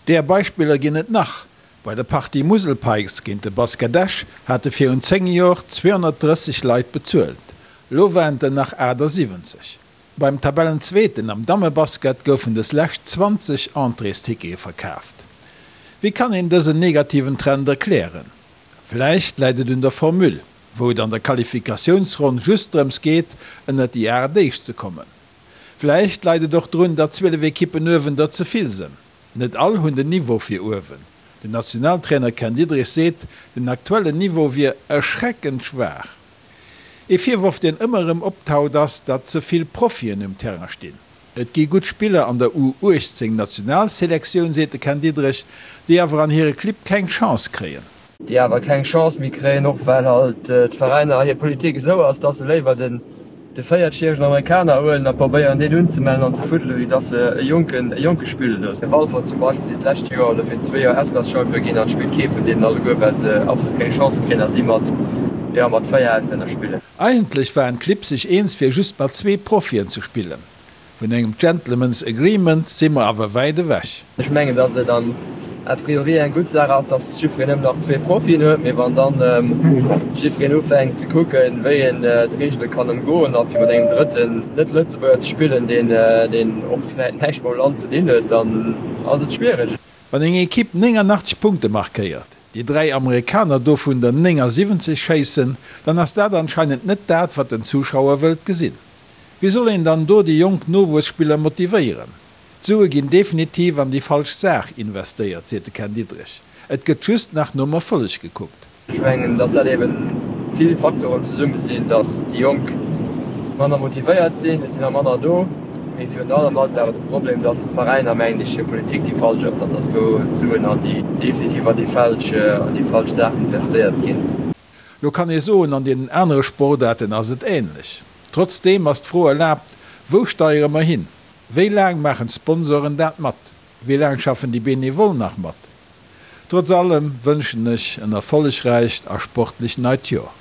Där Beispiller ginn et nach. Bei der Partie Musel Pikes géint de Basket Esch hate virun 10 Jor 230 Leit bezuelt, lo waren et der nach 78. Beim Tabellenzweeten am Dammebasket goufen des lescht 20 Entréestickete verkaaft. Wéi kann een dësen negativen Trend erklären? Vläicht läit et un der Formule, wou et an der Qualifikatiounsronn just drëms geet, ënnert déi 8 éischt ze kommen. Vläicht leit et och drun, datt 12 Ekippen uewen der ze vill sënn. Net all hunn den Niveau fir uewen. Den Nationaltrainer Ken Diederich seet, den aktuellen Niveau wier erschreckend schwaach. Ee Virworf deen ëmmer erëm optaucht ass, datt ze vill Profien um Terrain stinn. Et gi gutt Spiller an der U 18 Nationalselektioun, seet de Ken Diederich, déi awer an hire Clibb keng Chance kréien. Déi awer keng Chance méi kréien, och well halt d'Veräiner hir Politik esou ass, datt se léiwer den de véiertjäregen Amerikaner huelen a probéieren deen unzemellen an ze fuddelen, wéi dass se e jonken, e jonke spille loossen. Walfer zum Beispill sinn d'lescht Joer oder virun zwee Joer Espace-Champion ginn an et spillt kee vun deenen alleguer, well se absolut keng Chance kréien a si mat, jo, mat véier Auslänner spillen. Eigentlech waren d'Clibb sech eens fir just mat zwee Profien ze spillen. Vun engem Gentleman's Agreement si mer awer wäit ewech. Ech mengen, dass et an a priori eng gutt Saach ass, dass jiddwereen nëmmen nach zwee Profien huet. Mee wann dann jiddwereen ufänkt ze kucken, wéi een d'Reegele kann ëmgoen a fir mat engem drëtten Net-Lëtzebuerger ze spillen, deen och vläicht näischt mam Land ze dinn huet, dann ass et schwiereg. Wann eng Ekipp 89 Punkte markéiert, déi 3 Amerikaner dovun der 79 schéissen, dann ass dat anscheinend net dat, wat den Zuschauer wëllt gesinn. Wéi soll een dann do déi jonk Nowuesspiller motivéieren? D'Sue ginn definitiv an déi falsch Saach investéiert, seet de Ken Diederich. Et gëtt just nach nom Erfolleg gekuckt. Ech mengen, datt dat eben vill Faktoren zesumme sinn, datt déi Jonk manner motivéiert sinn, et sinn der manner do. Mee virun allem ass et awer de Problem, datt d'Veräiner, mengen ech, hir Politik déi falsch ass an datt do d'Suen an déi definitiv an déi falsch, an déi falsch Saachen investéiert ginn. Lo kann ee soen, an deenen anere Sportaarten ass et änlech. Trotzdeem ass d'Fro erlaabt, Wou steiere mer hin? Wéi laang maachen d'Sponsoren dat mat? Wéi laang schaffen déi Benevole nach mat? Trotz allem wënschen ech en erfollegräicht a sportlich neit Joer.